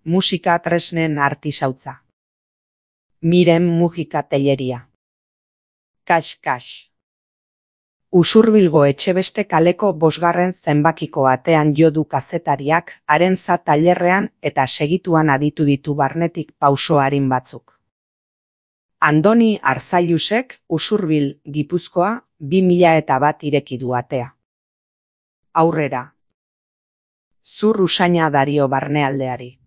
musika tresnen artisautza. Miren Mujika Telleria. Kax. Usurbilgo Etxebeste kaleko 5. zenbakiko atean jo du kazetariak haren tailerrean eta segituan aditu ditu barnetik pauso arin batzuk. Andoni Arzailusek Usurbil, Gipuzkoa, 2001 ireki du atea. Aurrera. Zur usaina dario barnealdeari.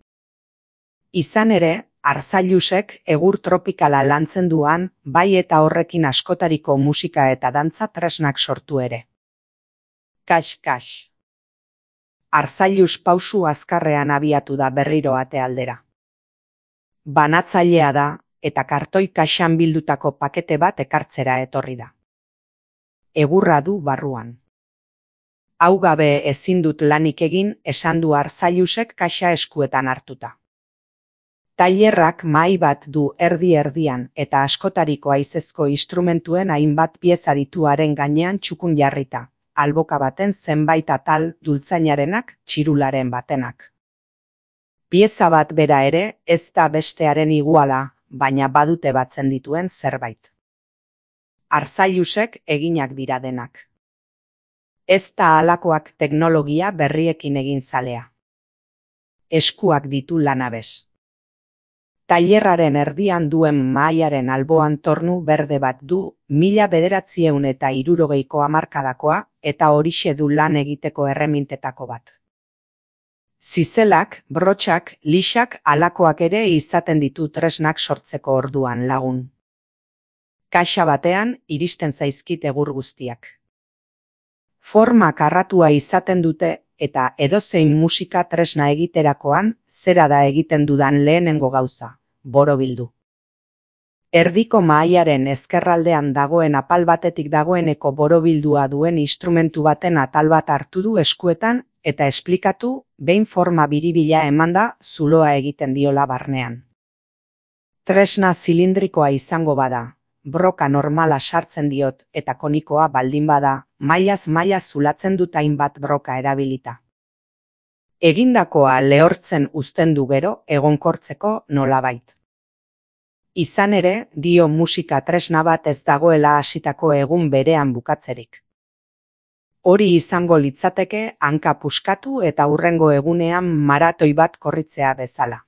Izan ere, Arzailusek egur tropikala lantzen duan, bai eta horrekin askotariko musika eta dantza tresnak sortu ere. Kax. Arzailus pausu azkarrean abiatu da berriro ate aldera. Banatzailea da, eta kartoi kaxan bildutako pakete bat ekartzera etorri da. Egurra du barruan. Hau gabe ezin dut lanik egin, esan du Arzailusek kaxa eskuetan hartuta. Tailerrak mahai bat du erdi-erdian eta askotariko haizezko instrumentuen hainbat pieza dituaren gainean txukun jarrita, alboka baten zenbait atal dultzainarenak, txirularen batenak. Pieza bat bera ere ez da bestearen iguala, baina badute batzen dituen zerbait. Arzailusek eginak dira denak. Ez da halakoak teknologia berriekin egin zalea. Eskuak ditu lanabez. Tailerraren erdian duen mahaiaren alboan tornu berde bat du 1960ko hamarkadakoa eta horixe du lan egiteko erremintetako bat. Zizelak, brotxak, lixak halakoak ere izaten ditu tresnak sortzeko orduan lagun. Kaxa batean iristen zaizkit egur guztiak. Forma karratua izaten dute eta edozein musika tresna egiterakoan zera da egiten dudan lehenengo gauza. Borobildu. Erdiko mahaiaren ezkerraldean dagoen apal batetik dagoeneko borobildua duen instrumentu baten atal bat hartu du eskuetan eta esplikatu behin forma biribila emanda zuloa egiten diola barnean. Tresna zilindrikoa izango bada, broka normala sartzen diot eta konikoa baldin bada, mailaz maila zulatzen dut hainbat broka erabilita. Egindakoa lehortzen uzten du gero egonkortzeko nolabait. Izan ere, dio musika tresna bat ez dagoela hasitako egun berean bukatzerik. Hori izango litzateke hanka puskatu eta hurrengo egunean maratoi bat korritzea bezala.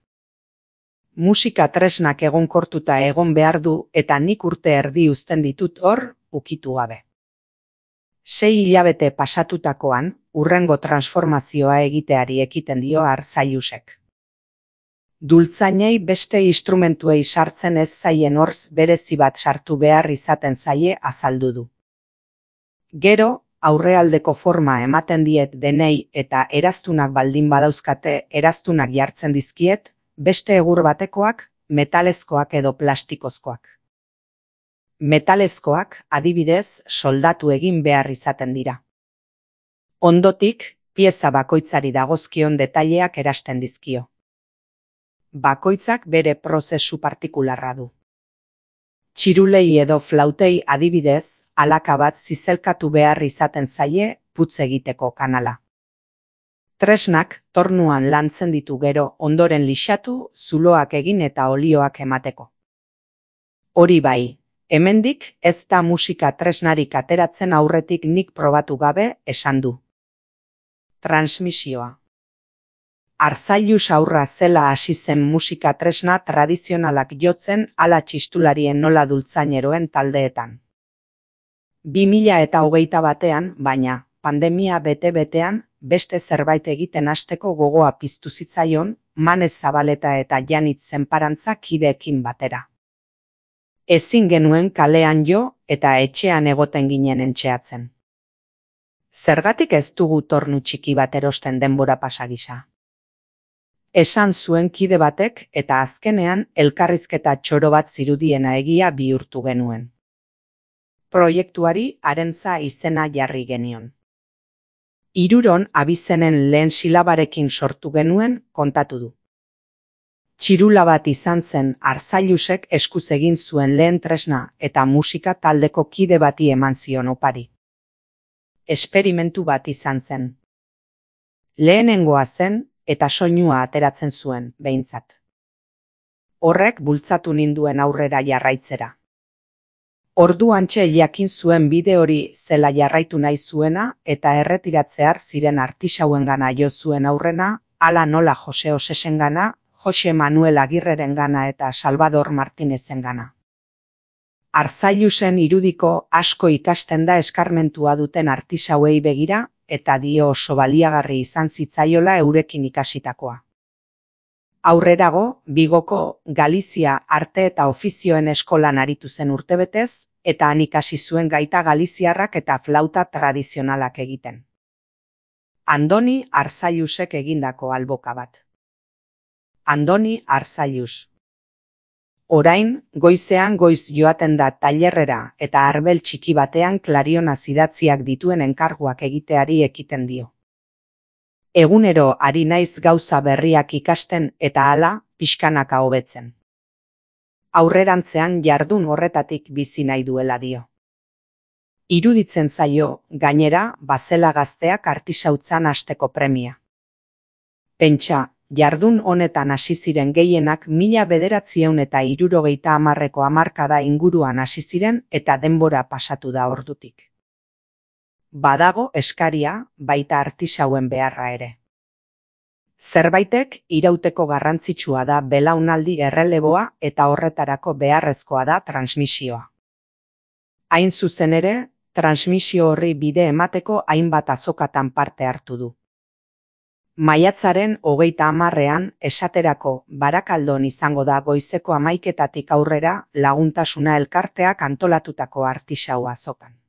Musika tresnak egonkortuta egon behar du eta nik urte erdi uzten ditut hor, ukitu gabe. 6 hilabete pasatutakoan, hurrengo transformazioa egiteari ekiten dio Arzailusek. Dultzainei beste instrumentuei sartzen ez zaien horz berezi bat sartu behar izaten zaie azaldu du. Gero, aurrealdeko forma ematen diet denei eta eraztunak baldin badauzkate eraztunak jartzen dizkiet, beste egur batekoak, metalezkoak edo plastikozkoak. Metalezkoak, adibidez, soldatu egin behar izaten dira. Ondotik, pieza bakoitzari dagozkion detaileak erasten dizkio. Bakoitzak bere prozesu partikularra du. Txirulei edo flautei adibidez, alaka bat zizelkatu behar izaten zaie putz egiteko kanala. Tresnak tornuan lantzen ditu gero ondoren lixatu, zuloak egin eta olioak emateko. Hori bai, hemendik ez da musika tresnarik ateratzen aurretik nik probatu gabe esan du. Transmisioa. Arzailus aurra zela hasi zen musika tresna tradizionalak jotzen ala txistularien nola dultzaineroen taldeetan. 2021 baina, pandemia bete-betean, beste zerbait egiten hasteko gogoa piztu zitzaion, Manez Zabaleta eta Janitz Zenparantza kideekin batera. Ezin genuen kalean jo eta etxean egoten ginen entxeatzen. Zergatik ez dugu tornu txiki bat erosten denbora pasa gisa? Esan zuen kide batek eta azkenean elkarrizketa txoro bat zirudiena egia bihurtu genuen. Proiektuari Arentza izena jarri genion. Hiruron abizenen lehen silabarekin sortu genuen kontatu du. Txirula bat izan zen Arzailusek eskuz egin zuen lehen tresna eta musika taldeko kide bati eman zion opari. Esperimentu bat izan zen. Lehenengoa zen eta soinua ateratzen zuen, behintzat. Horrek bultzatu ninduen aurrera jarraitzera. Orduantxe jakin zuen bide hori zela jarraitu nahi zuena eta erretiratzear ziren artisauengana jo zuen aurrena, hala nola Jose Osesengana, Jose Manuel Agirrerengana eta Salvador Martinezengana. Arzailusen irudiko asko ikasten da eskarmentua duten artisauei begira eta dio oso baliagarri izan zitzaiola eurekin ikasitakoa. Aurrerago, Bigoko Galizia Arte eta Ofizioen Eskolan aritu zen urtebetez, eta han ikasi zuen gaita galiziarrak eta flauta tradizionalak egiten. Andoni Arzailusek egindako alboka bat. Andoni Arzailus. Orain, goizean goiz joaten da tailerrera eta arbel txiki batean klariona idatziak dituen enkarguak egiteari ekiten dio. Egunero ari naiz gauza berriak ikasten eta hala pixkanaka hobetzen. Aurrerantzean jardun horretatik bizi nahi duela dio. Iruditzen zaio, gainera, bazela gazteak artisautzan hasteko premia. Pentsa, jardun honetan hasi ziren gehienak 1970ko hamarkada inguruan hasi ziren eta denbora pasatu da ordutik. Badago eskaria, baita artisauen beharra ere. Zerbaitek irauteko garrantzitsua da belaunaldi erreleboa eta horretarako beharrezkoa da transmisioa. Hain zuzen ere, transmisio horri bide emateko hainbat azokatan parte hartu du. Maiatzaren 30ean esaterako Barakaldon izango da goizeko 11 aurrera Laguntasuna elkarteak antolatutako artisau azokan.